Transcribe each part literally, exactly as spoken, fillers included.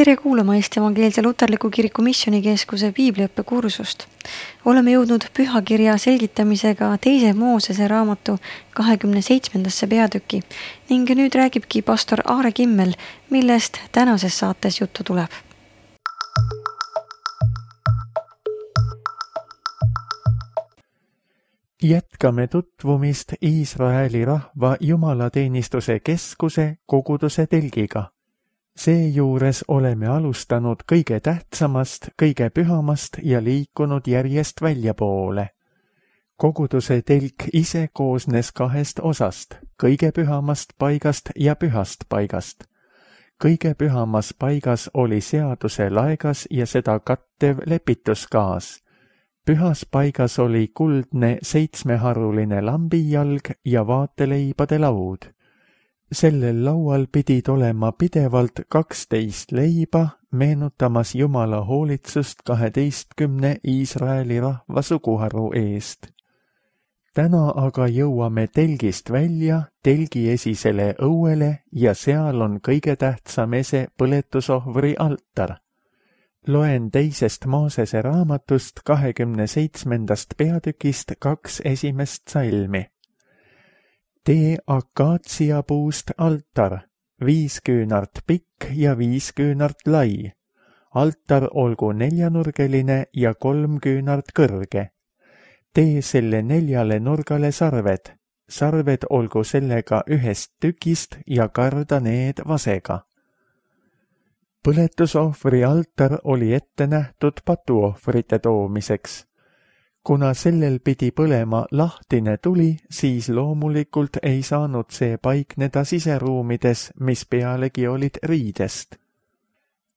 tere kuulama Eesti Evangeelse Luterliku Kiriku Missioonikeskuse piibliõppekursust. Oleme jõudnud pühakirja selgitamisega teise Moosese raamatu kahekümne seitsmendasse peatüki ning nüüd räägibki pastor Aare Kimmel, millest tänases saates juttu tuleb. Jätkame tutvumist Iisraeli rahva jumalateenistuse keskuse koguduse telgiga. Seejuures oleme alustanud kõige tähtsamast, kõige pühamast ja liikunud järjest väljapoole. Koguduse telk ise koosnes kahest osast, kõige pühamast paigast ja pühast paigast. Kõige pühamas paigas oli seaduse laegas ja seda kattev lepituskaas. Pühas paigas oli kuldne seitsmeharuline lambijalg ja vaateleibade laud. Sellel laual pidid olema pidevalt kaksteist leiba, meenutamas Jumala hoolitsust kaheteistkümne Iisraeli rahva suguharu eest. Täna aga jõuame telgist välja telgi esisele õuele ja seal on kõige tähtsam ese põletusohvri altar. Loen teisest Moosese raamatust kahekümne seitsmendast peatükist kaks esimest salmi. Tee akaatsiapuust altar, viis küünart pikk ja viis küünart lai. Altar olgu neljanurgeline ja kolm küünart kõrge. Tee selle neljale nurgale sarved. Sarved olgu sellega ühest tükist ja karda need vasega. Põletusohvri altar oli ette nähtud patuohvrite toomiseks. Kuna sellel pidi põlema lahtine tuli, siis loomulikult ei saanud see paikneda siseruumides, mis pealegi olid riidest.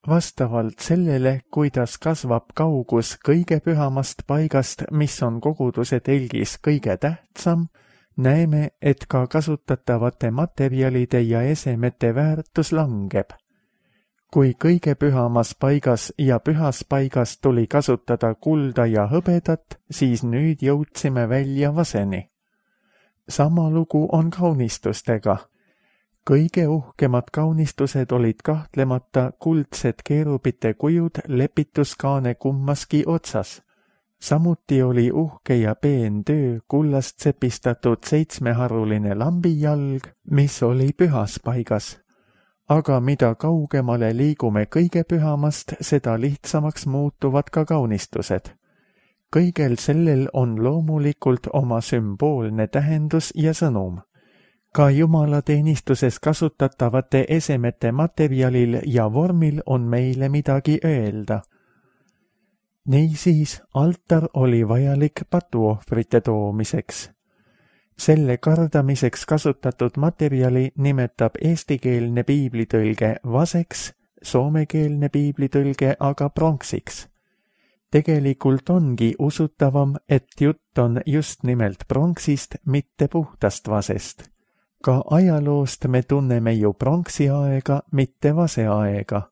Vastavalt sellele, kuidas kasvab kaugus kõige pühamast paigast, mis on koguduse telgis kõige tähtsam, näeme, et ka kasutatavate materjalide ja esemete väärtus langeb. Kui kõige pühamas paigas ja pühas paigas tuli kasutada kulda ja hõbedat, siis nüüd jõudsime välja vaseni. Sama lugu on kaunistustega. Kõige uhkemad kaunistused olid kahtlemata kuldsed keerubite kujud lepituskaane kummaski otsas. Samuti oli uhke ja peen töö kullast sepistatud seitsmeharuline lambijalg, mis oli pühas paigas. Aga mida kaugemale liigume kõige pühamast, seda lihtsamaks muutuvad ka kaunistused. Kõigel sellel on loomulikult oma sümboolne tähendus ja sõnum. Ka jumalateenistuses kasutatavate esemete materjalil ja vormil on meile midagi öelda. Niisiis, altar oli vajalik patuohvrite toomiseks. Selle kardamiseks kasutatud materjali nimetab eestikeelne piiblitõlge vaseks, soomekeelne piiblitõlge aga pronksiks. Tegelikult ongi usutavam, et jutt on just nimelt pronksist, mitte puhtast vasest. Ka ajaloost me tunneme ju pronksi aega, mitte vase aega.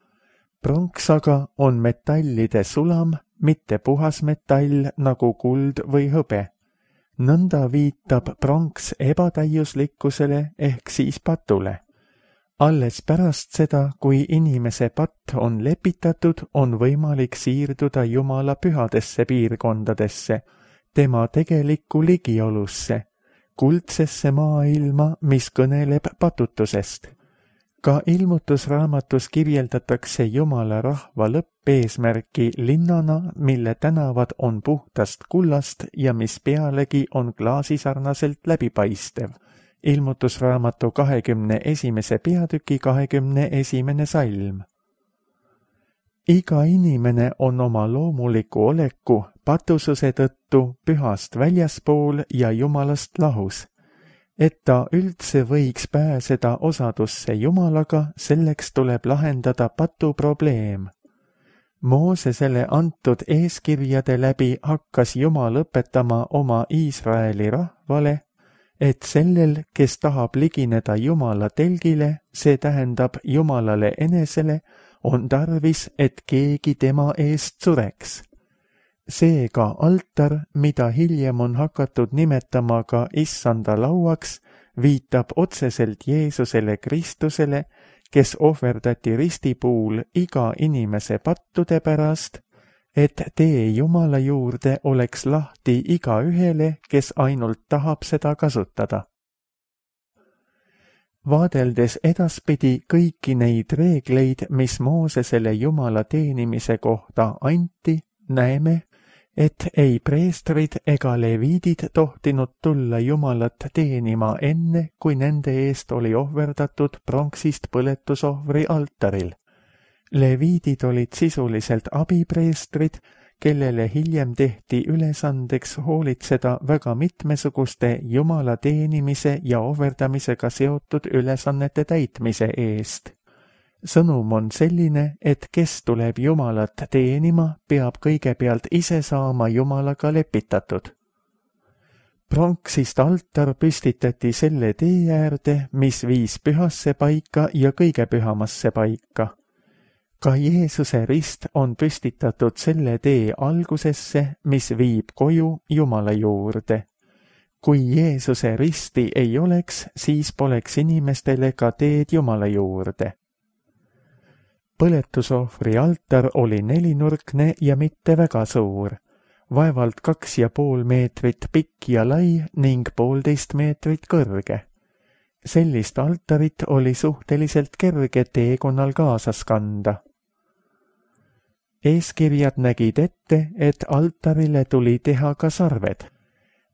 Pronks aga on metallide sulam, mitte puhas metall nagu kuld või hõbe. Nõnda viitab pronks ebatäiuslikkusele ehk siis patule. Alles pärast seda, kui inimese patt on lepitatud, on võimalik siirduda Jumala pühadesse piirkondadesse, tema tegelikku ligiolusse, kuldsesse maailma, mis kõneleb patutusest. Ka ilmutusraamatus kirjeldatakse Jumala rahva lõppeesmärki linnana, mille tänavad on puhtast kullast ja mis pealegi on klaasisarnaselt läbipaistev. Ilmutusraamatu kahekümne esimese peatüki kahekümne esimene salm. Iga inimene on oma loomuliku oleku patususe tõttu pühast väljaspool ja Jumalast lahus. Et ta üldse võiks pääseda osadusse Jumalaga, selleks tuleb lahendada patu probleem. Moosesele antud eeskirjade läbi hakkas Jumal õpetama oma Iisraeli rahvale, et sellel, kes tahab ligineda Jumala telgile, see tähendab Jumalale enesele, on tarvis, et keegi tema eest sureks. Seega altar, mida hiljem on hakatud nimetama ka issanda lauaks, viitab otseselt Jeesusele Kristusele, kes ohverdati ristipuul iga inimese pattude pärast, et tee Jumala juurde oleks lahti igaühele, kes ainult tahab seda kasutada. Vaadeldes edaspidi kõiki neid reegleid, mis Moosesele Jumala teenimise kohta anti, näeme, et ei preestrid ega leviidid tohtinud tulla Jumalat teenima enne, kui nende eest oli ohverdatud pronksist põletusohvri altaril. Leviidid olid sisuliselt abipreestrid, kellele hiljem tehti ülesandeks hoolitseda väga mitmesuguste Jumala teenimise ja ohverdamisega seotud ülesannete täitmise eest. Sõnum on selline, et kes tuleb Jumalat teenima, peab kõigepealt ise saama Jumalaga lepitatud. Pronksist altar püstitati selle tee äärde, mis viis pühasse paika ja kõige pühamasse paika. Ka Jeesuse rist on püstitatud selle tee algusesse, mis viib koju Jumala juurde. Kui Jeesuse risti ei oleks, siis poleks inimestele ka teed Jumala juurde. Põletusohvri altar oli nelinurkne ja mitte väga suur, vaevalt kaks ja pool meetrit pikk ja lai ning poolteist meetrit kõrge. Sellist altarit oli suhteliselt kerge teekonnal kaasas kanda. Eeskirjad nägid ette, et altarile tuli teha ka sarved.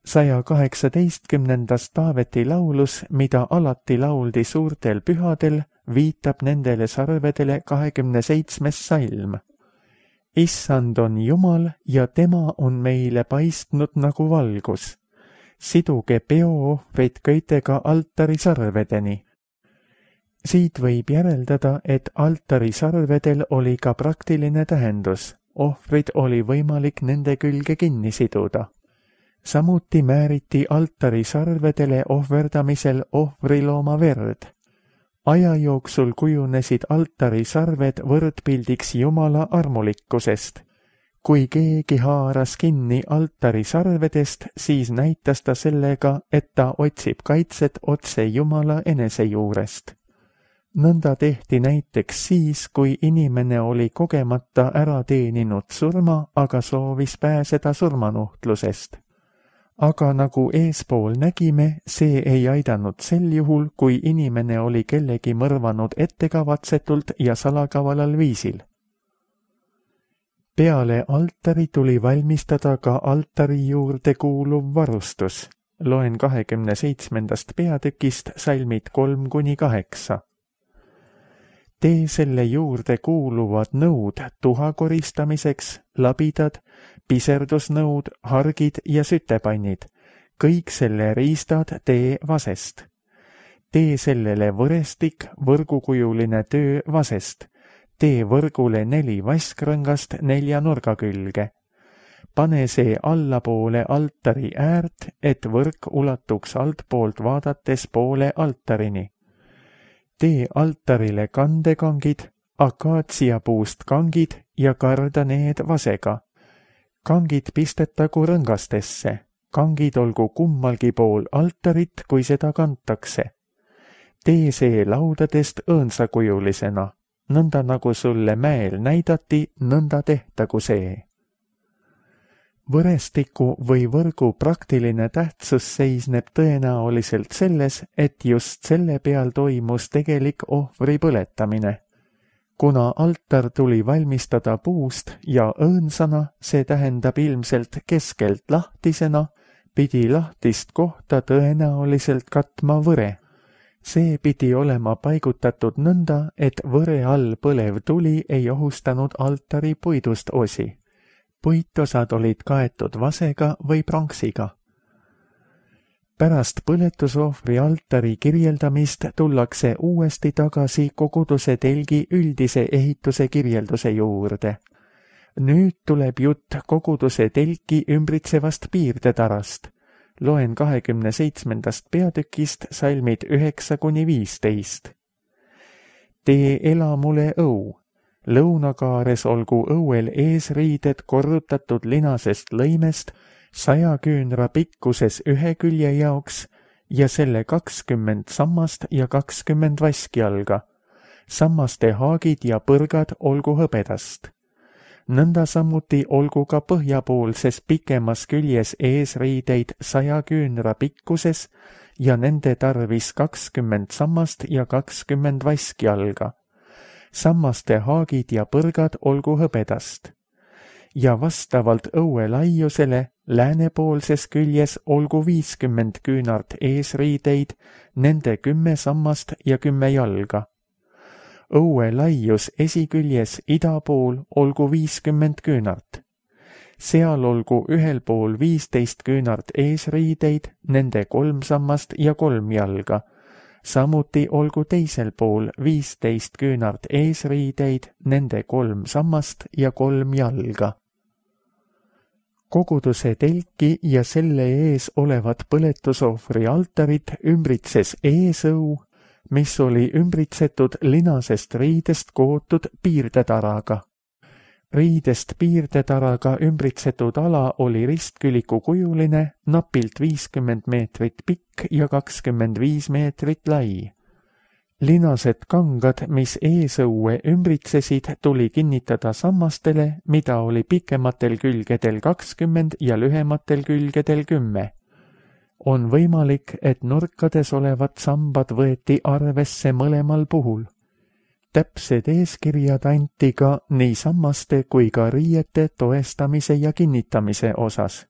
saja kaheksateistkümnendas Taaveti laulus, mida alati lauldi suurtel pühadel, viitab nendele sarvedele kahekümne seitsmes salm. Issand on Jumal ja tema on meile paistnud nagu valgus. Siduge peoohvrid köitega altari sarvedeni. Siit võib järeldada, et altari sarvedel oli ka praktiline tähendus. Ohvrid oli võimalik nende külge kinni siduda. Samuti määriti altari sarvedele ohverdamisel ohvrilooma verd. Aja jooksul kujunesid altari sarved võrdpildiks Jumala armulikkusest. Kui keegi haaras kinni altari sarvedest, siis näitas ta sellega, et ta otsib kaitset otse Jumala enese juurest. Nõnda tehti näiteks siis, kui inimene oli kogemata ära teeninud surma, aga soovis pääseda surmanuhtlusest. Aga nagu eespool nägime, see ei aidanud sel juhul, kui inimene oli kellegi mõrvanud ettekavatsetult ja salakavalal viisil. Peale altari tuli valmistada ka altari juurde kuuluv varustus. Loen kahekümne seitsmendast peatükist salmid kolm kuni kaheksa. Tee selle juurde kuuluvad nõud tuha koristamiseks, labidad, piserdusnõud, hargid ja sütepannid. Kõik selle riistad tee vasest. Tee sellele võrestik, võrgukujuline töö vasest. Tee võrgule neli vaskrõngast nelja nurga külge. Pane see allapoole altari äärt, et võrk ulatuks altpoolt vaadates poole altarini. Tee altarile kandekangid, akaatsiapuust kangid ja karda need vasega. Kangid pistetagu rõngastesse. Kangid olgu kummalgi pool altarit, kui seda kantakse. Tee see laudadest õõnsakujulisena. Nõnda nagu sulle mäel näidati, nõnda tehtagu see. Võrestiku või võrgu praktiline tähtsus seisneb tõenäoliselt selles, et just selle peal toimus tegelik ohvri põletamine. Kuna altar tuli valmistada puust ja õõnsana, see tähendab ilmselt keskelt lahtisena, pidi lahtist kohta tõenäoliselt katma võre. See pidi olema paigutatud nõnda, et võre all põlev tuli ei ohustanud altari puidust osi. Puitosad olid kaetud vasega või pronksiga. Pärast põletusohvri altari kirjeldamist tullakse uuesti tagasi koguduse telgi üldise ehituse kirjelduse juurde. Nüüd tuleb jutt koguduse telki ümbritsevast piirdetarast. Loen kahekümne seitsmendast peatükist salmid üheksa kuni viisteist. Tee elamule õu. Lõunakaares olgu õuel eesriided korrutatud linasest lõimest saja küünra pikkuses ühe külje jaoks ja selle kakskümmend sammast ja kakskümmend vaskjalga. sammaste haagid ja põrgad olgu hõbedast. Nõnda samuti olgu ka põhjapoolses pikemas küljes eesriideid saja küünra pikkuses ja nende tarvis kakskümmend sammast ja kakskümmend vaskjalga. Sammaste haagid ja põrgad olgu hõbedast. Ja vastavalt õue laiusele läänepoolses küljes olgu viiskümmend küünart eesriideid, nende kümme sammast ja kümme jalga. Õue laius esiküljes ida pool olgu viiskümmend küünart. Seal olgu ühel pool viisteist küünart eesriideid, nende kolm sammast ja kolm jalga. Samuti olgu teisel pool viisteist küünart eesriideid, nende kolm sammast ja kolm jalga. Koguduse telki ja selle ees olevat põletusohvri altarit ümbritses eesõu, mis oli ümbritsetud linasest riidest kootud piirdetaraga. Riidest piirdetaraga ümbritsetud ala oli ristküliku kujuline, napilt viiskümmend meetrit pikk ja kakskümmend viis meetrit lai. Linased kangad, mis eesõue ümbritsesid, tuli kinnitada sammastele, mida oli pikematel külgedel kakskümmend ja lühematel külgedel kümme. On võimalik, et nurkades olevad sambad võeti arvesse mõlemal puhul. Täpsed eeskirjad anti ka nii sammaste kui ka riiete toestamise ja kinnitamise osas.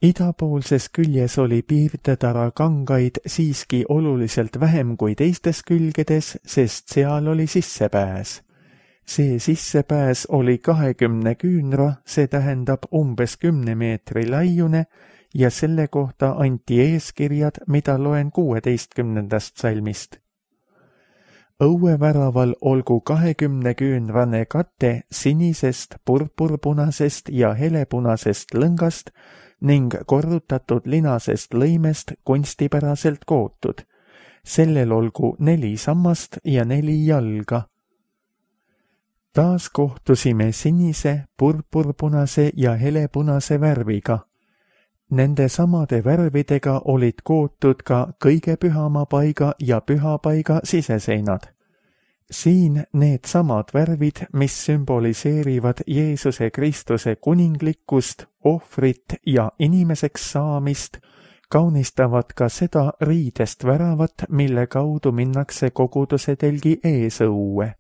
Idapoolses küljes oli piirdetara kangaid siiski oluliselt vähem kui teistes külgedes, sest seal oli sissepääs. See sissepääs oli kahekümne küünra, see tähendab umbes kümne meetri laiune, ja selle kohta anti eeskirjad, mida loen kuueteistkümnendast salmist. Õueväraval olgu kahekümne küünrane kate sinisest, purpurpunasest ja helepunasest lõngast ning korrutatud linasest lõimest kunstipäraselt kootud. Sellel olgu neli sammast ja neli jalga. Taas kohtusime sinise, purpurpunase ja helepunase värviga. Nende samade värvidega olid kootud ka kõige pühama paiga ja pühapaiga siseseinad. Siin need samad värvid, mis sümboliseerivad Jeesuse Kristuse kuninglikkust, ohvrit ja inimeseks saamist, kaunistavad ka seda riidest väravat, mille kaudu minnakse koguduse telgi eesõue.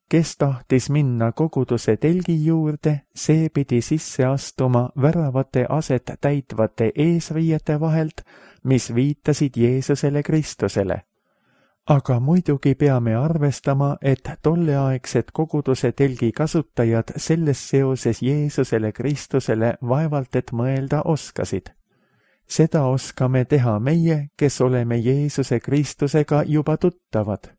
Kes tahtis minna koguduse telgi juurde, see pidi sisse astuma väravate aset täitvate eesriiete vahelt, mis viitasid Jeesusele Kristusele. Aga muidugi peame arvestama, et tolleaegsed koguduse telgi kasutajad selles seoses Jeesusele Kristusele vaevalt et mõelda oskasid. Seda oskame teha meie, kes oleme Jeesuse Kristusega juba tuttavad.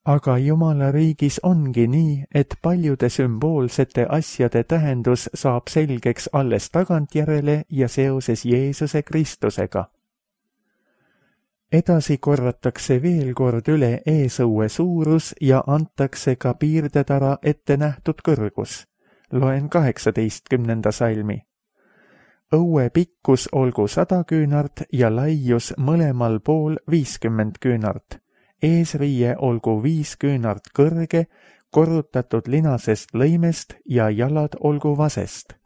Aga Jumala riigis ongi nii, et paljude sümboolsete asjade tähendus saab selgeks alles tagantjärele ja seoses Jeesuse Kristusega. Edasi korratakse veel kord üle eesõue suurus ja antakse ka piirdetara ette nähtud kõrgus. Loen kaheksateistkümnenda salmi. Õue pikkus olgu sada küünart ja laius mõlemal pool viiskümmend küünart. Eesriie olgu viis küünart kõrge, korrutatud linasest lõimest ja jalad olgu vasest.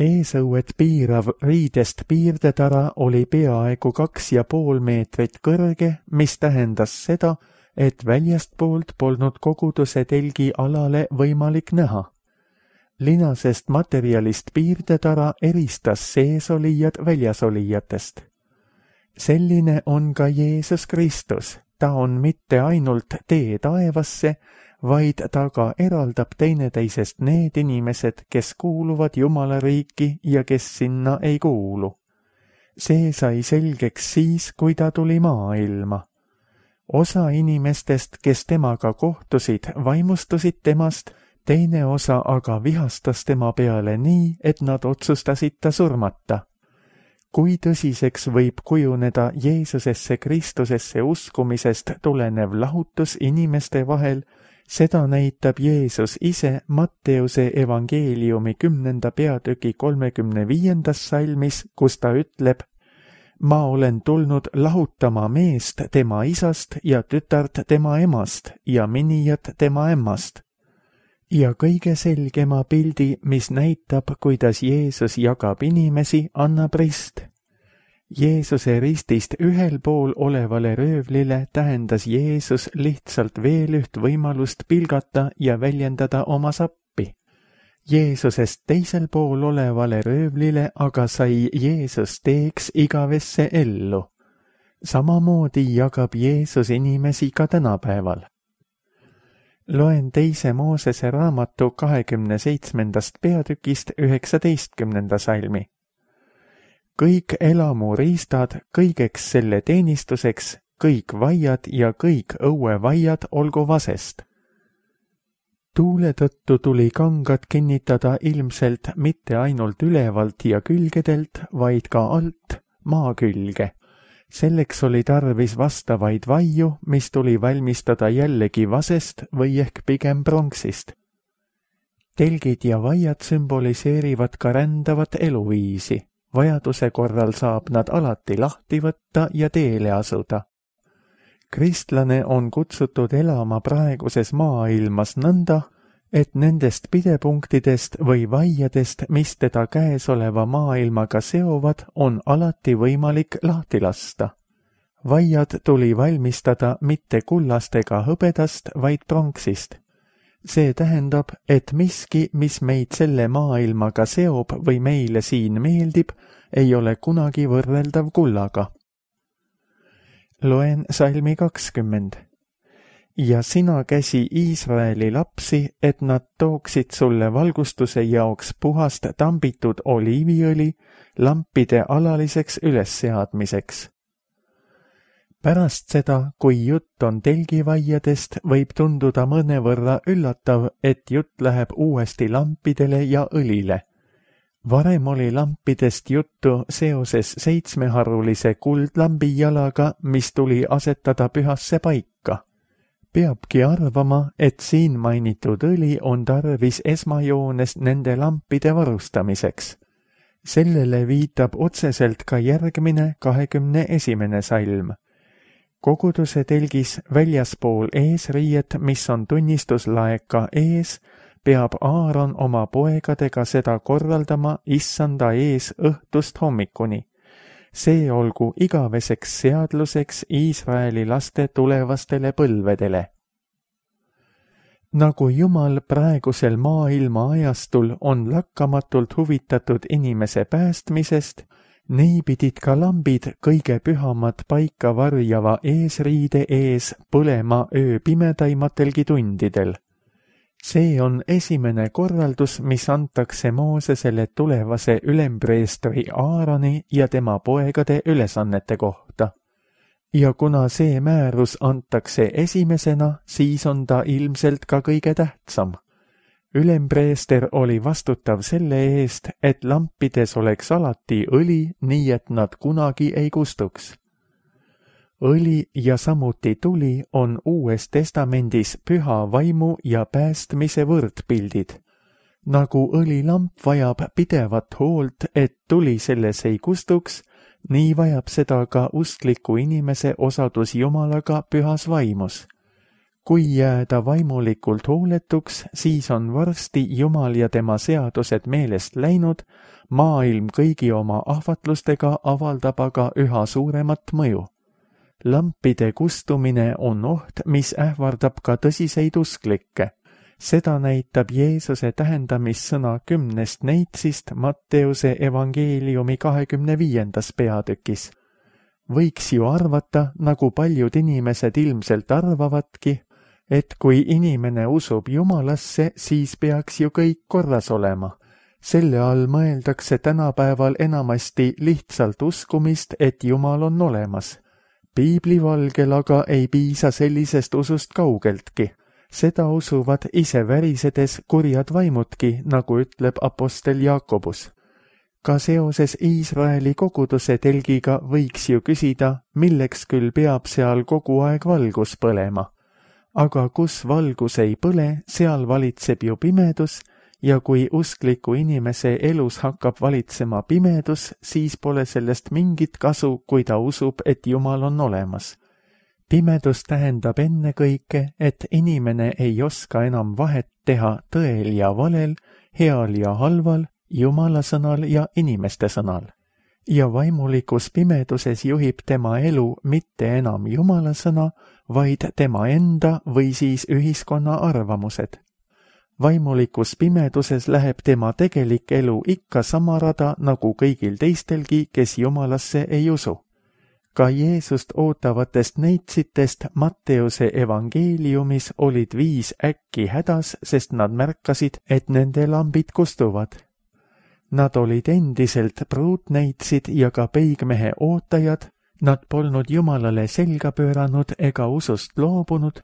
Eesõuet piirav riidest piirdetara oli peaaegu kaks ja pool meetrit kõrge, mis tähendas seda, et väljastpoolt polnud koguduse telgi alale võimalik näha. Linasest materjalist piirdetara eristas seesolijad väljasolijatest. Selline on ka Jeesus Kristus, ta on mitte ainult tee taevasse, vaid ta ka eraldab teineteisest need inimesed, kes kuuluvad Jumala riiki ja kes sinna ei kuulu. See sai selgeks siis, kui ta tuli maailma. Osa inimestest, kes temaga kohtusid, vaimustusid temast, teine osa aga vihastas tema peale nii, et nad otsustasid ta surmata. Kui tõsiseks võib kujuneda Jeesusesse Kristusesse uskumisest tulenev lahutus inimeste vahel, seda näitab Jeesus ise Matteuse evangeeliumi kümnenda peatüki kolmekümne viiendas salmis, kus ta ütleb: ma olen tulnud lahutama meest tema isast ja tütart tema emast ja minijat tema emmast. Ja kõige selgema pildi, mis näitab, kuidas Jeesus jagab inimesi, annab rist. Jeesuse ristist ühel pool olevale röövlile tähendas Jeesus lihtsalt veel üht võimalust pilgata ja väljendada oma sappi. Jeesusest teisel pool olevale röövlile aga sai Jeesus teeks igavesse ellu. Samamoodi jagab Jeesus inimesi ka tänapäeval. Loen teise Moosese raamatu kahekümne seitsmendast peatükist üheksateistkümnenda salmi. Kõik elamuriistad kõigeks selle teenistuseks, kõik vaiad ja kõik õuevaiad olgu vasest. Tuule tõttu tuli kangad kinnitada ilmselt mitte ainult ülevalt ja külgedelt, vaid ka alt maa külge. Selleks oli tarvis vastavaid vaiu, mis tuli valmistada jällegi vasest või ehk pigem pronksist. Telgid ja vaiad sümboliseerivad ka rändavat eluviisi. Vajaduse korral saab nad alati lahti võtta ja teele asuda. Kristlane on kutsutud elama praeguses maailmas nõnda, et nendest pidepunktidest või vaiadest, mis teda käesoleva maailmaga seovad, on alati võimalik lahti lasta. Vaiad tuli valmistada mitte kullast ega hõbedast, vaid pronksist. See tähendab, et miski, mis meid selle maailmaga seob või meile siin meeldib, ei ole kunagi võrreldav kullaga. Loen salmi kakskümmend. Ja sina käsi Iisraeli lapsi, et nad tooksid sulle valgustuse jaoks puhast tambitud oliiviõli lampide alaliseks ülesseadmiseks. Pärast seda, kui jutt on telgivaiadest, võib tunduda mõnevõrra üllatav, et jutt läheb uuesti lampidele ja õlile. Varem oli lampidest juttu seoses seitsmeharulise kuldlambi jalaga, mis tuli asetada pühasse paika. Peabki arvama, et siin mainitud õli on tarvis esmajoones nende lampide varustamiseks. Sellele viitab otseselt ka järgmine kahekümne esimene salm. Koguduse telgis väljaspool eesriiet, mis on tunnistuslaeka ees, peab Aaron oma poegadega seda korraldama issanda ees õhtust hommikuni. See olgu igaveseks seadluseks Iisraeli laste tulevastele põlvedele. Nagu Jumal praegusel maailma ajastul on lakkamatult huvitatud inimese päästmisest, nii pidid ka lambid kõige pühamat paika varjava eesriide ees põlema öö pimedaimatelgi tundidel. See on esimene korraldus, mis antakse Moosesele tulevase ülempreestri Aaroni ja tema poegade ülesannete kohta. Ja kuna see määrus antakse esimesena, siis on ta ilmselt ka kõige tähtsam. Ülempreester oli vastutav selle eest, et lampides oleks alati õli, nii et nad kunagi ei kustuks. Õli ja samuti tuli on Uues Testamendis püha vaimu ja päästmise võrdpildid. Nagu õlilamp vajab pidevat hoolt, et tuli selles ei kustuks, nii vajab seda ka uskliku inimese osadus Jumalaga pühas vaimus. Kui jääda vaimulikult hooletuks, siis on varsti Jumal ja tema seadused meelest läinud, maailm kõigi oma ahvatlustega avaldab aga üha suuremat mõju. Lampide kustumine on oht, mis ähvardab ka tõsiseid usklikke. Seda näitab Jeesuse tähendamissõna kümnest neitsist Matteuse evangeeliumi kahekümne viiendas peatükis. Võiks ju arvata, nagu paljud inimesed ilmselt arvavadki, et kui inimene usub Jumalasse, siis peaks ju kõik korras olema. Selle all mõeldakse tänapäeval enamasti lihtsalt uskumist, et Jumal on olemas. Piiblivalgel aga ei piisa sellisest usust kaugeltki. Seda usuvad ise värisedes kurjad vaimudki, nagu ütleb apostel Jaakobus. Ka seoses Iisraeli koguduse telgiga võiks ju küsida, milleks küll peab seal kogu aeg valgus põlema. Aga kus valgus ei põle, seal valitseb ju pimedus ja kui uskliku inimese elus hakkab valitsema pimedus, siis pole sellest mingit kasu, kui ta usub, et Jumal on olemas. Pimedus tähendab ennekõike, et inimene ei oska enam vahet teha tõel ja valel, heal ja halval, Jumala sõnal ja inimeste sõnal. Ja vaimulikus pimeduses juhib tema elu mitte enam Jumala sõna, vaid tema enda või siis ühiskonna arvamused. Vaimulikus pimeduses läheb tema tegelik elu ikka sama rada nagu kõigil teistelgi, kes Jumalasse ei usu. Ka Jeesust ootavatest neitsitest Matteuse evangeeliumis olid viis äkki hädas, sest nad märkasid, et nende lambid kustuvad. Nad olid endiselt pruutneitsid ja ka peigmehe ootajad, nad polnud Jumalale selga pööranud ega usust loobunud,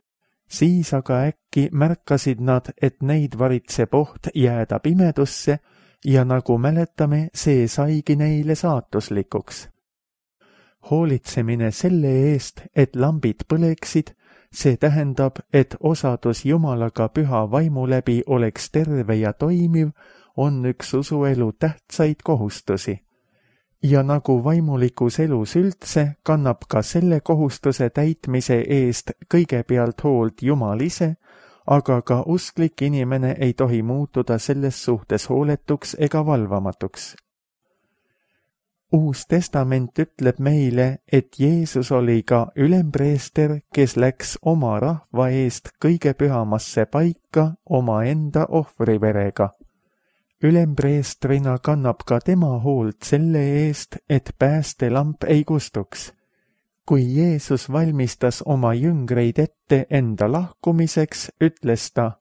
siis aga äkki märkasid nad, et neid varitseb oht jääda pimedusse ja nagu mäletame, see saigi neile saatuslikuks. Hoolitsemine selle eest, et lambid põleksid, see tähendab, et osadus Jumalaga püha vaimu läbi oleks terve ja toimiv, on üks usuelu tähtsaid kohustusi. Ja nagu vaimulikus elus üldse, kannab ka selle kohustuse täitmise eest kõigepealt hoolt Jumal ise, aga ka usklik inimene ei tohi muutuda selles suhtes hooletuks ega valvamatuks. Uus testament ütleb meile, et Jeesus oli ka ülempreester, kes läks oma rahva eest kõige pühamasse paika omaenda ohvriverega. Ülempreestrina kannab ka tema hoolt selle eest, et päästelamp ei kustuks. Kui Jeesus valmistas oma jüngreid ette enda lahkumiseks, ütles ta,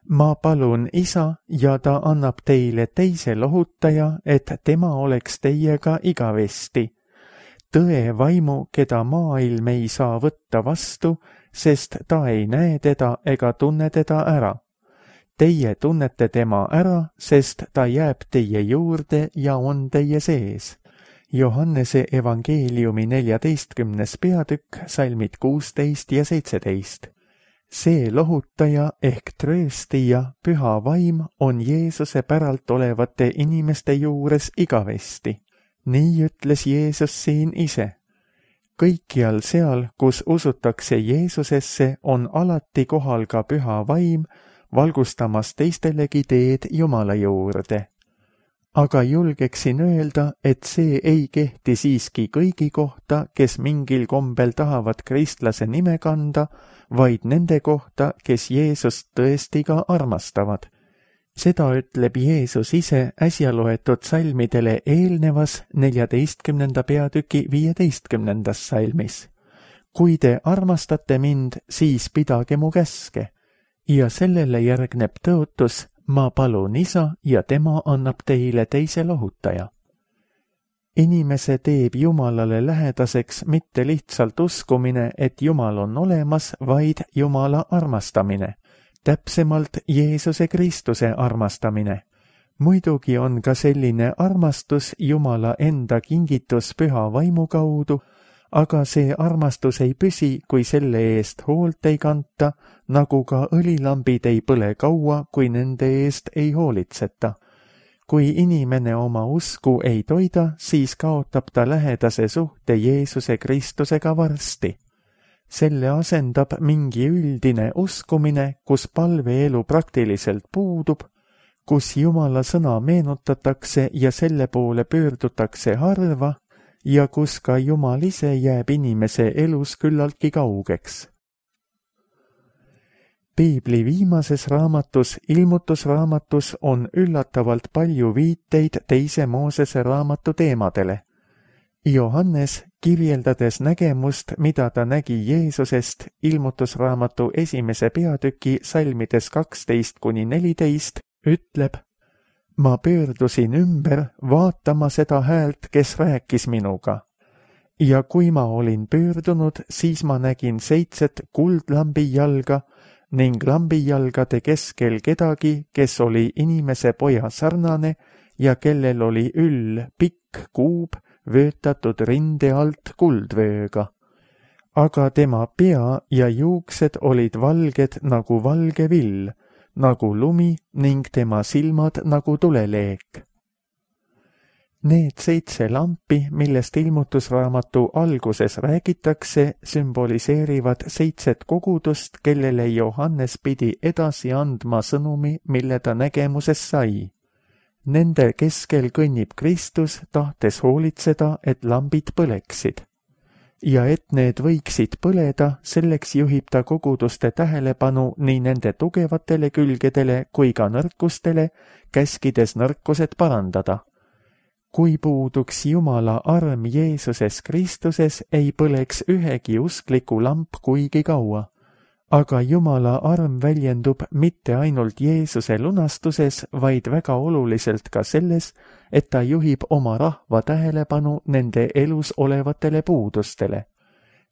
ma palun Isa ja ta annab teile teise lohutaja, et tema oleks teiega igavesti. Tõe vaimu, keda maailm ei saa võtta vastu, sest ta ei näe teda ega tunne teda ära. Teie tunnete tema ära, sest ta jääb teie juurde ja on teie sees. Johannese evangeeliumi neljateistkümnes peatükk, salmid kuusteist ja seitseteist. See lohutaja ehk trööstija, püha vaim, on Jeesuse päralt olevate inimeste juures igavesti. Nii ütles Jeesus siin ise. Kõikjal seal, kus usutakse Jeesusesse, on alati kohal ka püha vaim, valgustamas teistelegi teed Jumala juurde. Aga julgeksin öelda, et see ei kehti siiski kõigi kohta, kes mingil kombel tahavad kristlase nime kanda, vaid nende kohta, kes Jeesust tõesti ka armastavad. Seda ütleb Jeesus ise äsja loetud salmidele eelnevas neljateistkümnenda peatüki viieteistkümnendas salmis. Kui te armastate mind, siis pidage mu käske. Ja sellele järgneb tõotus, ma palun Isa ja tema annab teile teise lohutaja. Inimese teeb Jumalale lähedaseks mitte lihtsalt uskumine, et Jumal on olemas, vaid Jumala armastamine. Täpsemalt Jeesuse Kristuse armastamine. Muidugi on ka selline armastus Jumala enda kingitus püha vaimu kaudu, aga see armastus ei püsi, kui selle eest hoolt ei kanta, nagu ka õlilambid ei põle kaua, kui nende eest ei hoolitseta. Kui inimene oma usku ei toida, siis kaotab ta lähedase suhte Jeesuse Kristusega varsti. Selle asendab mingi üldine uskumine, kus palveelu praktiliselt puudub, kus Jumala sõna meenutatakse ja selle poole pöördutakse harva, ja kus ka Jumal ise jääb inimese elus küllaltki kaugeks. Piibli viimases raamatus, ilmutusraamatus, on üllatavalt palju viiteid teise Moosese raamatu teemadele. Johannes, kirjeldades nägemust, mida ta nägi Jeesusest, ilmutusraamatu esimese peatüki salmides kaksteist kuni neliteist, ütleb, ma pöördusin ümber vaatama seda häält, kes rääkis minuga. Ja kui ma olin pöördunud, siis ma nägin seitset kuldlambijalga ning lambijalgade keskel kedagi, kes oli inimese poja sarnane ja kellel oli üll pikk kuub vöötatud rinde alt kuldvööga. Aga tema pea ja juuksed olid valged nagu valge vill, nagu lumi ning tema silmad nagu tuleleek. Need seitse lampi, millest ilmutusraamatu alguses räägitakse, sümboliseerivad seitset kogudust, kellele Johannes pidi edasi andma sõnumi, mille ta nägemuses sai. Nende keskel kõnnib Kristus, tahtes hoolitseda, et lambid põleksid. Ja et need võiksid põleda, selleks juhib ta koguduste tähelepanu nii nende tugevatele külgedele kui ka nõrkustele, käskides nõrkused parandada. Kui puuduks Jumala arm Jeesuses Kristuses, ei põleks ühegi uskliku lamp kuigi kaua. Aga Jumala arm väljendub mitte ainult Jeesuse lunastuses, vaid väga oluliselt ka selles, et ta juhib oma rahva tähelepanu nende elus olevatele puudustele.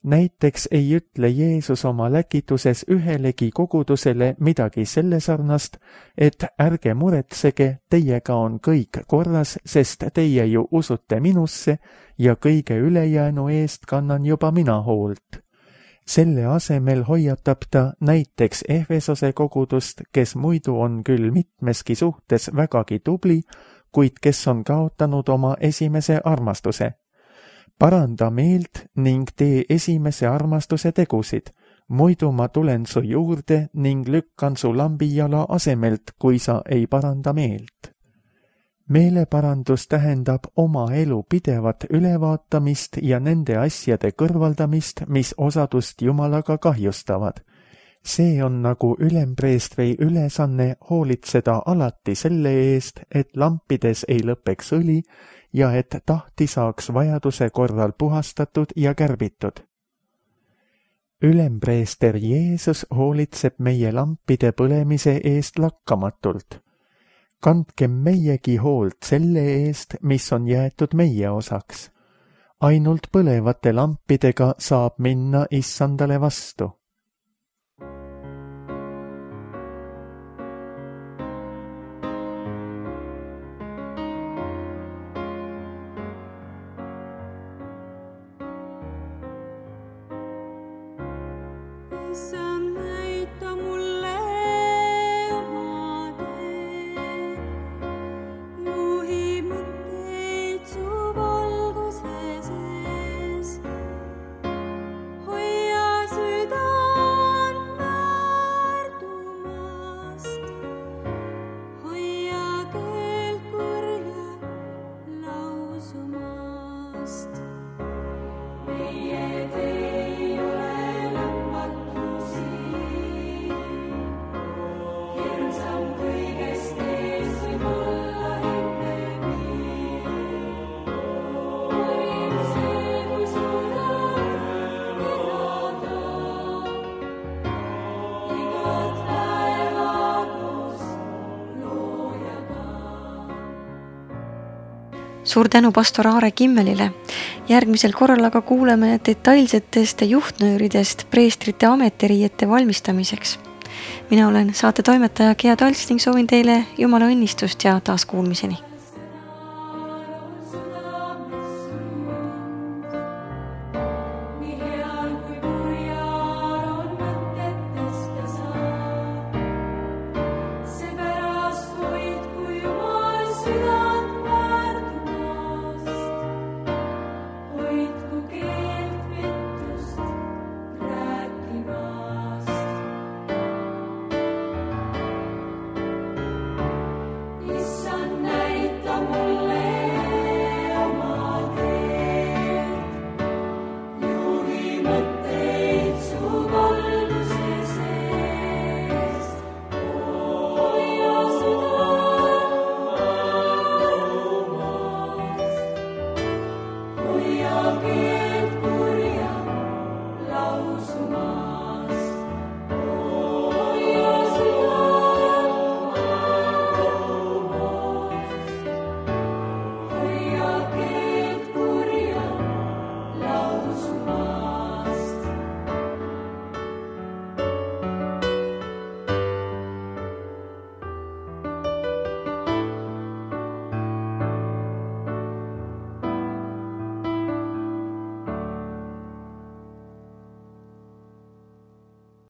Näiteks ei ütle Jeesus oma läkituses ühelegi kogudusele midagi selle sarnast, et ärge muretsege, teiega on kõik korras, sest teie ju usute minusse ja kõige ülejäänu eest kannan juba mina hoolt. Selle asemel hoiatab ta näiteks Efesose kogudust, kes muidu on küll mitmeski suhtes vägagi tubli, kuid kes on kaotanud oma esimese armastuse. Paranda meelt ning tee esimese armastuse tegusid, muidu ma tulen su juurde ning lükkan su lambijala asemelt, kui sa ei paranda meelt. Meeleparandus tähendab oma elu pidevat ülevaatamist ja nende asjade kõrvaldamist, mis osadust Jumalaga kahjustavad. See on nagu ülempreestri ülesanne hoolitseda alati selle eest, et lampides ei lõpeks õli ja et tahti saaks vajaduse korral puhastatud ja kärbitud. Ülempreester Jeesus hoolitseb meie lampide põlemise eest lakkamatult. Kandkem meiegi hoolt selle eest, mis on jäetud meie osaks. Ainult põlevate lampidega saab minna issandale vastu. Issand, näita mulle oma teed, juhi mõtteid su valguse sees. Hoia südant väärtumast, hoia keelt kurja lausumast. Meie tee ei ole Suur tänu pastor Aare Kimmelile. Järgmisel korral aga kuuleme detailsetest juhtnööridest preestrite ametiriiete valmistamiseks. Mina olen saate toimetaja Gea Talts ning soovin teile Jumala õnnistust ja taaskuulmiseni. Seepärast hoid, kui Jumal süda